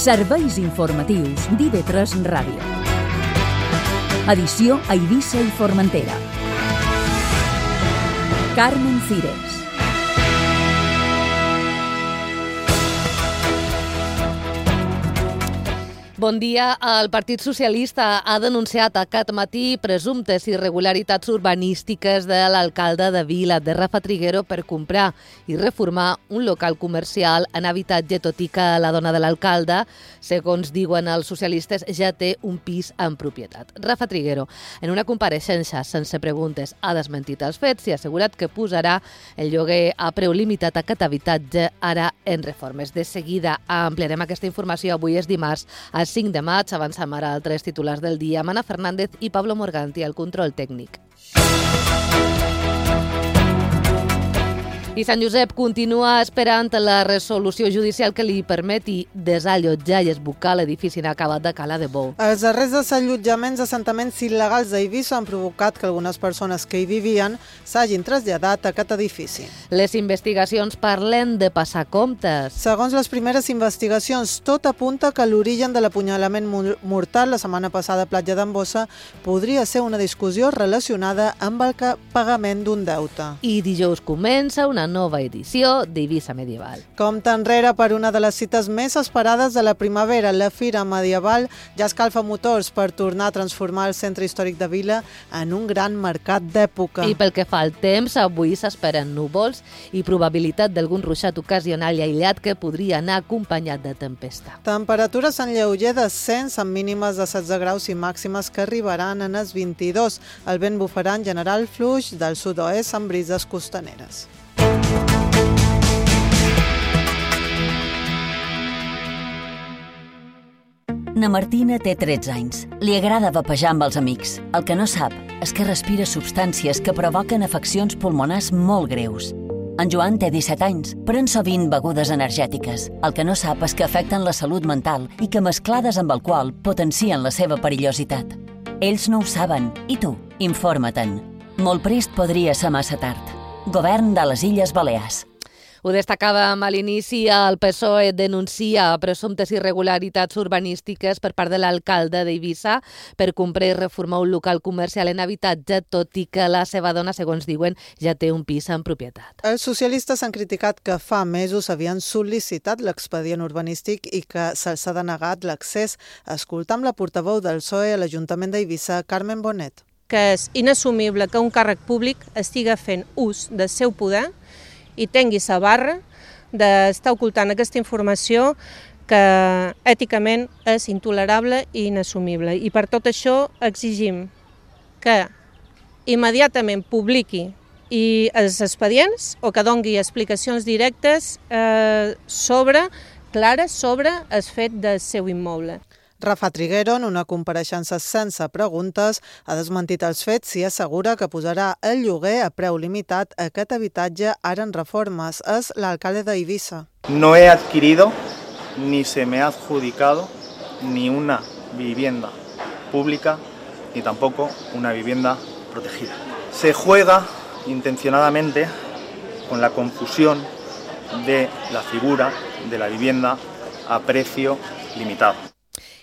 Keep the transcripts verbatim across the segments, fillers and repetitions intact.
Serveis informatius d'I V tres Ràdio. Edició a Eivissa i Formentera. Carmen Cires. Bon dia. El Partit Socialista ha denunciat aquest matí presumptes irregularitats urbanístiques de l'alcalde de Vila, de Rafa Triguero, per comprar i reformar un local comercial en habitatge, tot i que la dona de l'alcalde, segons diuen els socialistes, ja té un pis en propietat. Rafa Triguero, en una compareixença sense preguntes, ha desmentit els fets i ha assegurat que posarà el lloguer a preu limitat a aquest habitatge ara en reformes. De seguida ampliarem aquesta informació. Avui és dimarts, a cinc de maig, avancem ara altres titulars del dia. Mana Fernández i Pablo Morganti, al control tècnic. I Sant Josep continua esperant la resolució judicial que li permeti desallotjar i esbucar l'edifici inacabat de Cala de Bou. Els darrers desallotjaments d'assentaments il·legals d'Eivissa han provocat que algunes persones que hi vivien s'hagin traslladat a aquest edifici. Les investigacions parlen de passar comptes. Segons les primeres investigacions, tot apunta que l'origen de l'apunyalament mortal la setmana passada a Platja d'en Bossa podria ser una discussió relacionada amb el pagament d'un deute. I dijous comença una nova edició d'Eivissa Medieval. Compte enrere per una de les cites més esperades de la primavera. La Fira Medieval ja escalfa motors per tornar a transformar el centre històric de Vila en un gran mercat d'època. I pel que fa al temps, avui s'esperen núvols i probabilitat d'algun ruixat ocasional i aïllat que podria anar acompanyat de tempesta. Temperatures en lleuger descens amb mínimes de setze graus i màximes que arribaran en els vint-i-dos. El vent bufarà en general fluix del sud-oest amb brises costaneres. Na Martina té tretze anys. Li agrada vapejar amb els amics. El que no sap és que respira substàncies que provoquen afeccions pulmonars molt greus. En Joan té disset anys, pren sovint begudes energètiques. El que no sap és que afecten la salut mental i que mesclades amb alcohol potencien la seva perillositat. Ells no ho saben. I tu? Informa-te'n. Molt prest podria ser massa tard. Govern de les Illes Balears. Ho destacàvem a l'inici, el P S O E denuncia presumptes irregularitats urbanístiques per part de l'alcalde d'Eivissa per comprar i reformar un local comercial en habitatge, tot i que la seva dona, segons diuen, ja té un pis en propietat. Els socialistes han criticat que fa mesos havien sol·licitat l'expedient urbanístic i que se'ls ha denegat l'accés. Escoltam la portaveu del P S O E a l'Ajuntament d'Eivissa, Carmen Bonet. Que és inassumible que un càrrec públic estigui fent ús del seu poder i tingui la barra d'estar ocultant aquesta informació que èticament és intolerable i inassumible. I per tot això exigim que immediatament publiqui i els expedients o que doni explicacions directes eh, sobre, clares sobre el fet del seu immoble. Rafa Triguero, en una compareixença sense preguntes, ha desmentit els fets i assegura que posarà el lloguer a preu limitat a aquest habitatge ara en reformes. És l'alcalde d'Eivissa. No he adquirido ni se me ha adjudicado ni una vivienda pública ni tampoco una vivienda protegida. Se juega intencionadamente con la confusión de la figura de la vivienda a precio limitado.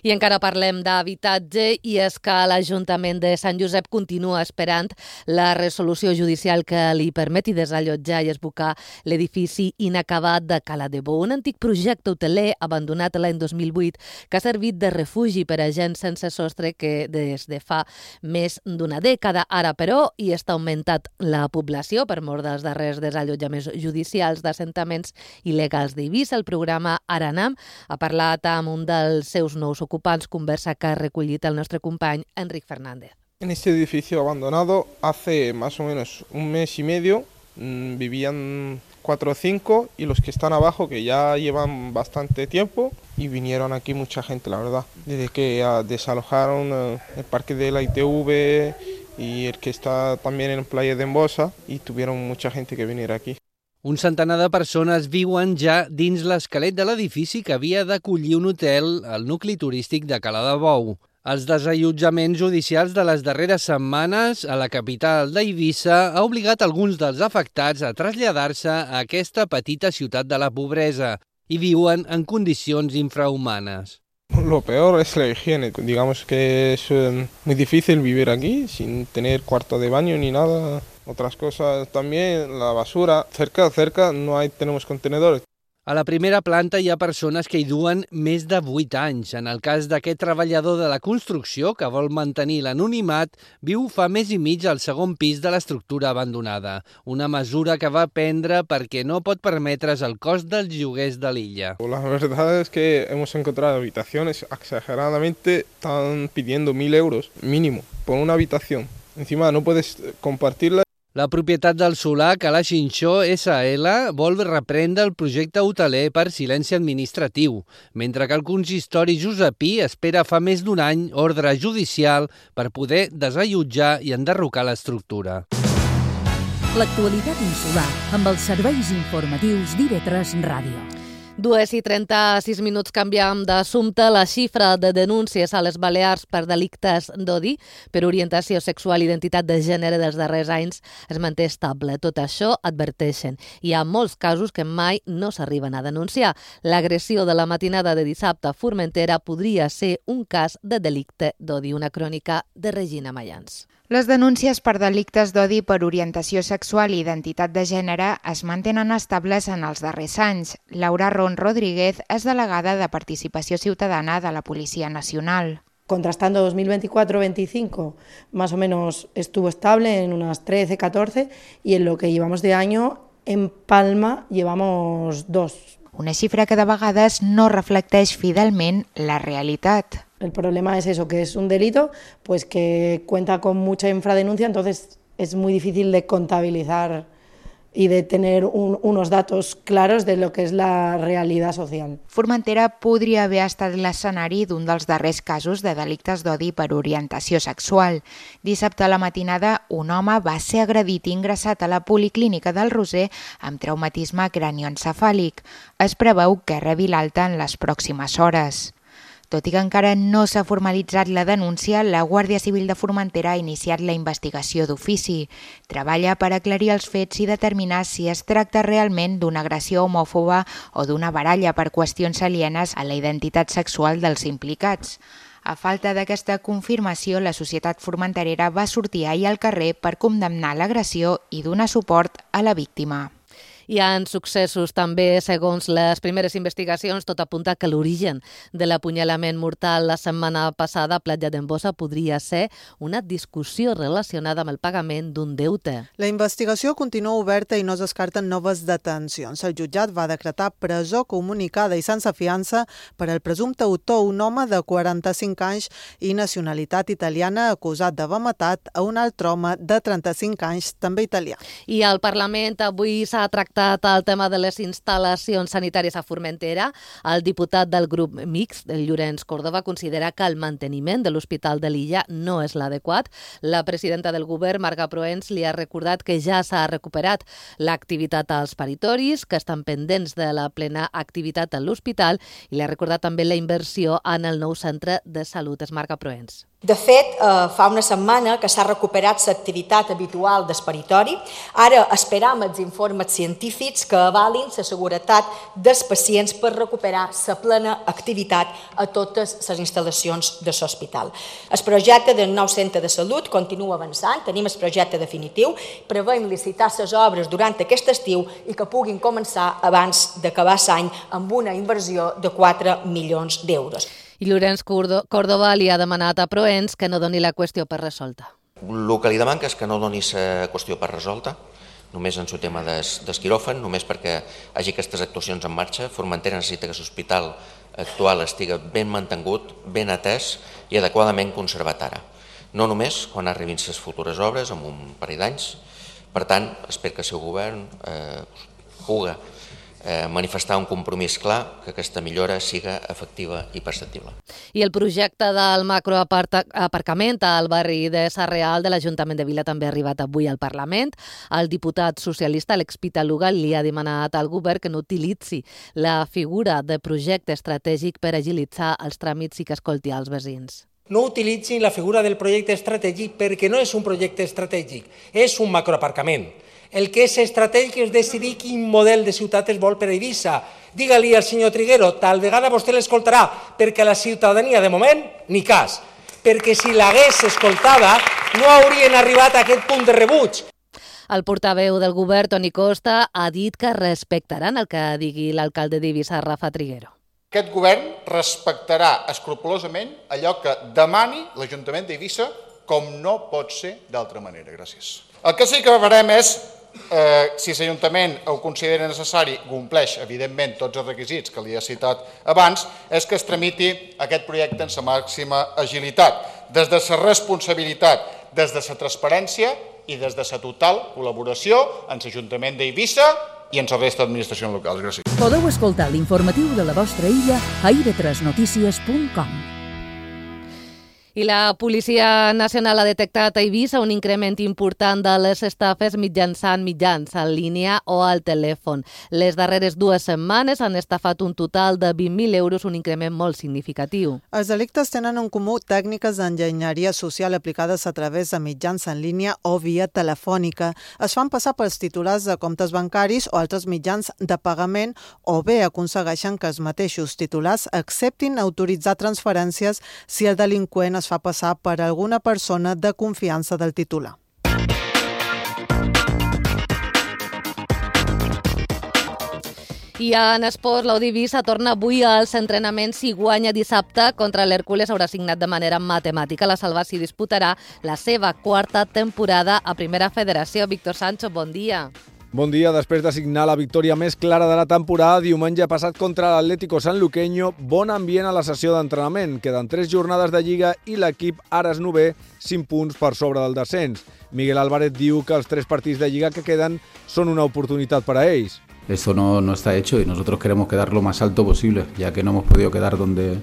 I encara parlem d'habitatge i és que l'Ajuntament de Sant Josep continua esperant la resolució judicial que li permeti desallotjar i esbucar l'edifici inacabat de Cala de Bou, un antic projecte hoteler abandonat l'any dos mil vuit que ha servit de refugi per a gent sense sostre que des de fa més d'una dècada. Ara, però, hi està augmentat la població per mort dels darrers desallotjaments judicials d'assentaments il·legals d'Eivissa. El programa Aranam ha parlat amb un dels seus nous ocupants, conversa que ha recollit el nostre company Enric Fernández. En este edificio abandonado hace más o menos un mes y medio mmm, vivían cuatro o cinco y los que están abajo que ya llevan bastante tiempo y vinieron aquí mucha gente, la verdad. Desde que uh, desalojaron uh, el parque de la I T V y el que está también en Playa de Embosa y tuvieron mucha gente que venir aquí. Un centenar de persones viuen ja dins l'esquelet de l'edifici que havia d'acollir un hotel al nucli turístic de Cala de Bou. Els desallotjaments judicials de les darreres setmanes a la capital d'Eivissa ha obligat alguns dels afectats a traslladar-se a aquesta petita ciutat de la pobresa. i viuen en condicions infrahumanes. Lo peor es la higiene. Digamos que es eh, muy difícil vivir aquí sin tener cuarto de baño ni nada. Otras cosas también, la basura. Cerca, cerca no hay, tenemos contenedores. A la primera planta hi ha persones que hi duen més de vuit anys. En el cas d'aquest treballador de la construcció que vol mantenir l'anonimat, viu fa mes i mig al segon pis de l'estructura abandonada. Una mesura que va prendre perquè no pot permetre's el cost dels lloguers de l'illa. La verdad es que hemos encontrado habitaciones exageradamente, están pidiendo mil euros mínimo por una habitación. Encima no puedes compartirla. La propietat del solar, Cala Xinxó essa ele, vol reprendre el projecte hoteler per silenci administratiu, mentre que el consistori josepí espera fa més d'un any ordre judicial per poder desallotjar i enderrocar l'estructura. L'actualitat insular amb els serveis informatius d'I V tres Ràdio. Dues i trenta-sis minuts, canviam d'assumpte. La xifra de denúncies a les Balears per delictes d'odi per orientació sexual i identitat de gènere dels darrers anys es manté estable. Tot això, adverteixen, hi ha molts casos que mai no s'arriben a denunciar. L'agressió de la matinada de dissabte a Formentera podria ser un cas de delicte d'odi. Una crònica de Regina Mayans. Les denúncies per delictes d'odi per orientació sexual i identitat de gènere es mantenen estables en els darrers anys. Laura Ron Rodríguez és delegada de Participació Ciutadana de la Policía Nacional. Contrastando dos mil veinticuatro veinticinco, más o menos estuvo estable en unas trece, catorce, y en lo que llevamos de año, en Palma, llevamos dos. Una xifra que de vegades no reflecteix fidelment la realitat. El problema es eso, que es un delito pues que cuenta con mucha infradenuncia, entonces es muy difícil de contabilizar y de tener un, unos datos claros de lo que es la realidad social. Formentera podria haver estat l'escenari d'un dels darrers casos de delictes d'odi per orientació sexual. Dissabte a la matinada, un home va ser agredit i ingressat a la Policlínica del Roser amb traumatisme cranioencefàlic. Es preveu que rebi l'alta en les pròximes hores. Tot i que encara no s'ha formalitzat la denúncia, la Guàrdia Civil de Formentera ha iniciat la investigació d'ofici. Treballa per aclarir els fets i determinar si es tracta realment d'una agressió homòfoba o d'una baralla per qüestions alienes a la identitat sexual dels implicats. A falta d'aquesta confirmació, la societat formenterera va sortir ahir al carrer per condemnar l'agressió i donar suport a la víctima. Hi ha successos també, segons les primeres investigacions, tot apunta que l'origen de l'apunyalament mortal la setmana passada a Platja d'Embossa podria ser una discussió relacionada amb el pagament d'un deute. La investigació continua oberta i no es descarten noves detencions. El jutjat va decretar presó comunicada i sense fiança per al presumpte autor, un home de quaranta-cinc anys i nacionalitat italiana, acusat d'haver matat a un altre home de trenta-cinc anys, també italià. I al Parlament avui s'ha tractat el tema de les instal·lacions sanitàries a Formentera. El diputat del grup mixt, el Llorenç Córdoba, considera que el manteniment de l'Hospital de l'Illa no és l'adequat. La presidenta del govern, Marga Proens, li ha recordat que ja s'ha recuperat l'activitat als paritoris, que estan pendents de la plena activitat a l'hospital, i li ha recordat també la inversió en el nou centre de salut. És Marga Proens. De fet, eh, fa una setmana que s'ha recuperat l'activitat habitual del paritori. Ara esperam els informes científics que avalin la seguretat dels pacients per recuperar la plena activitat a totes les instal·lacions de l'hospital. El projecte del nou centre de salut continua avançant, tenim el projecte definitiu, preveiem licitar les obres durant aquest estiu i que puguin començar abans d'acabar l'any amb una inversió de quatre milions d'euros. I Llorenç Córdoba li ha demanat a Proens que no doni la qüestió per resolta. El que li demanca és que no doni la qüestió per resolta, només en el tema del quiròfan, només perquè hi hagi aquestes actuacions en marxa. Formentera necessita que l'hospital actual estigui ben mantingut, ben atès i adequadament conservat ara. No només quan arribin les futures obres, en un parell d'anys. Per tant, espero que el seu govern eh, pugui Eh, manifestar un compromís clar que aquesta millora siga efectiva i perceptible. I el projecte del macroaparcament al barri de Sarreal de l'Ajuntament de Vila també ha arribat avui al Parlament. El diputat socialista Alex Pitaluga li ha demanat al govern que no utilitzi la figura de projecte estratègic per agilitzar els tràmits i que escolti als veïns. No utilitzin la figura del projecte estratègic perquè no és un projecte estratègic, és un macroaparcament. El que és estratègic és decidir quin model de ciutat es vol per a Eivissa. Digue-li al senyor Triguero, tal vegada vostè l'escoltarà, perquè la ciutadania, de moment, ni cas. Perquè si l'hagués escoltada, no haurien arribat a aquest punt de rebuig. El portaveu del govern, Toni Costa, ha dit que respectaran el que digui l'alcalde d'Eivissa, Rafa Triguero. Aquest govern respectarà escrupolosament allò que demani l'Ajuntament d'Eivissa, com no pot ser d'altra manera. Gràcies. El que sí que farem és, eh, si l'Ajuntament ho considera necessari, compleix, evidentment, tots els requisits que li he citat abans, és que es tramiti aquest projecte en la màxima agilitat, des de la responsabilitat, des de la transparència i des de la total col·laboració amb l'Ajuntament d'Eivissa i en la resta d'administracions locals. Gràcies. Podeu escoltar l'informatiu de la vostra illa a i ve tres notícies punt com. I la Policia Nacional ha detectat a Eivissa un increment important de les estafes mitjançant mitjans en línia o al telèfon. Les darreres dues setmanes han estafat un total de vint mil euros, un increment molt significatiu. Els delictes tenen en comú tècniques d'enginyeria social aplicades a través de mitjans en línia o via telefònica. Es fan passar pels titulars de comptes bancaris o altres mitjans de pagament o bé aconsegueixen que els mateixos titulars acceptin autoritzar transferències si el delinqüent es fa passar per alguna persona de confiança del titular. I en esports, l'Eivissa torna avui als entrenaments i guanya dissabte contra l'Hèrcules. Haurà signat de manera matemàtica la salvació i disputarà la seva quarta temporada a Primera Federació. Víctor Sancho, bon dia. Bon dia. Després de signar la victòria més clara de la temporada, diumenge passat contra l'Atlético Sanluqueño, bon ambient a la sessió d'entrenament. Queden tres jornades de Lliga i l'equip ara és novè, cinc punts per sobre del descens. Miguel Álvarez diu que els tres partits de Lliga que queden són una oportunitat per a ells. Esto no, no está hecho y nosotros queremos quedar lo más alto posible, ya que no hemos podido quedar donde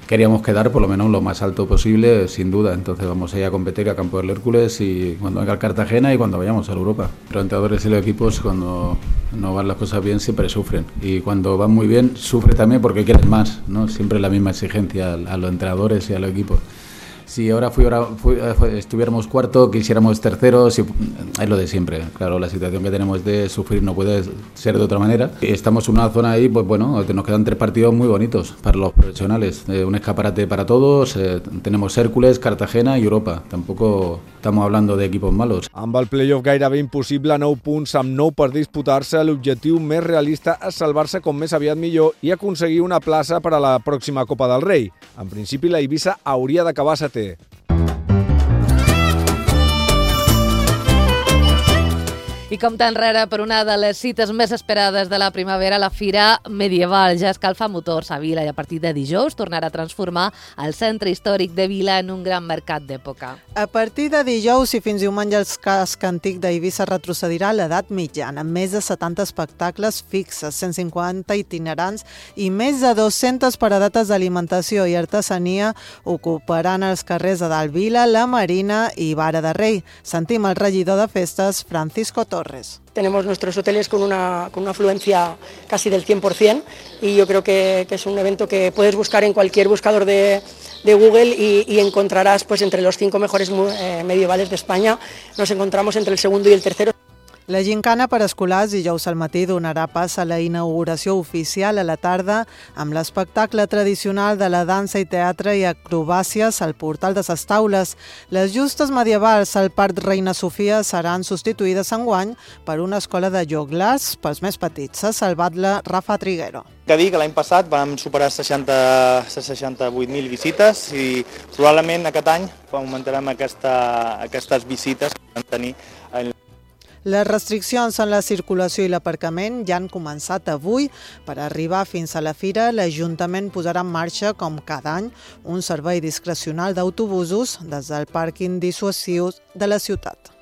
queríamos quedar, por lo menos lo más alto posible, sin duda. Entonces vamos a ir a competir a Campo del Hércules y cuando venga el Cartagena y cuando vayamos a Europa. Los entrenadores y los equipos, cuando no van las cosas bien, siempre sufren. Y cuando van muy bien, sufren también porque quieren más, ¿no? Siempre la misma exigencia a los entrenadores y a los equipos. Si ahora fuera, fui, estuviéramos cuarto, quisiéramos tercero, si, es lo de siempre. Claro, la situación que tenemos de sufrir no puede ser de otra manera. Estamos en una zona ahí, pues bueno, nos quedan tres partidos muy bonitos para los profesionales. Eh, un escaparate para todos, eh, tenemos Hércules, Cartagena y Europa. Tampoco estamos hablando de equipos malos. Amb el playoff gairebé impossible, nou punts amb nou per disputar-se, l'objectiu més realista és salvar-se com més aviat millor i aconseguir una plaça per a la pròxima Copa del Rei. En principi, la Eivissa hauria d'acabar setè. I compta enrere per una de les cites més esperades de la primavera, la Fira Medieval. Ja escalfa motors a Vila i a partir de dijous tornarà a transformar el centre històric de Vila en un gran mercat d'època. A partir de dijous i fins diumenge el casc antic d'Eivissa retrocedirà a l'edat mitjana, amb més de setanta espectacles fixes, cent cinquanta itinerants i més de dues-centes paradetes d'alimentació i artesania ocuparan els carrers de Dalt Vila, la Marina i Vara de Rei. Sentim el regidor de festes, Francisco Torres. Tenemos nuestros hoteles con una, con una afluencia casi del cien por cien y yo creo que, que es un evento que puedes buscar en cualquier buscador de, de Google y, y encontrarás pues entre los cinco mejores eh, medievales de España. Nos encontramos entre el segundo y el tercero. La gincana per escolars dijous al matí donarà pas a la inauguració oficial a la tarda amb l'espectacle tradicional de la dansa i teatre i acrobàcies al portal de ses Taules. Les justes medievals al Parc Reina Sofia seran substituïdes enguany per una escola de joglars pels més petits. S'ha salvat la Rafa Triguero. Que dir que l'any passat vam superar seixanta, seixanta-vuit mil visites i probablement aquest any augmentarem aquesta, aquestes visites que vam tenir en Les restriccions en la circulació i l'aparcament ja han començat avui. Per arribar fins a la fira, l'Ajuntament posarà en marxa, com cada any, un servei discrecional d'autobusos des del pàrquing dissuasiu de la ciutat.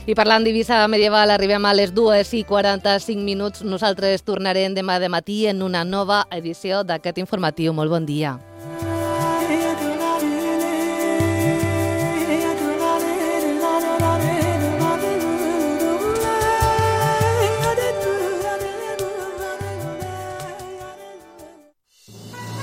I parlant d'Eivissa Medieval, arribem a les dues i quaranta-cinc minuts. Nosaltres tornarem demà de matí en una nova edició d'aquest informatiu. Molt bon dia.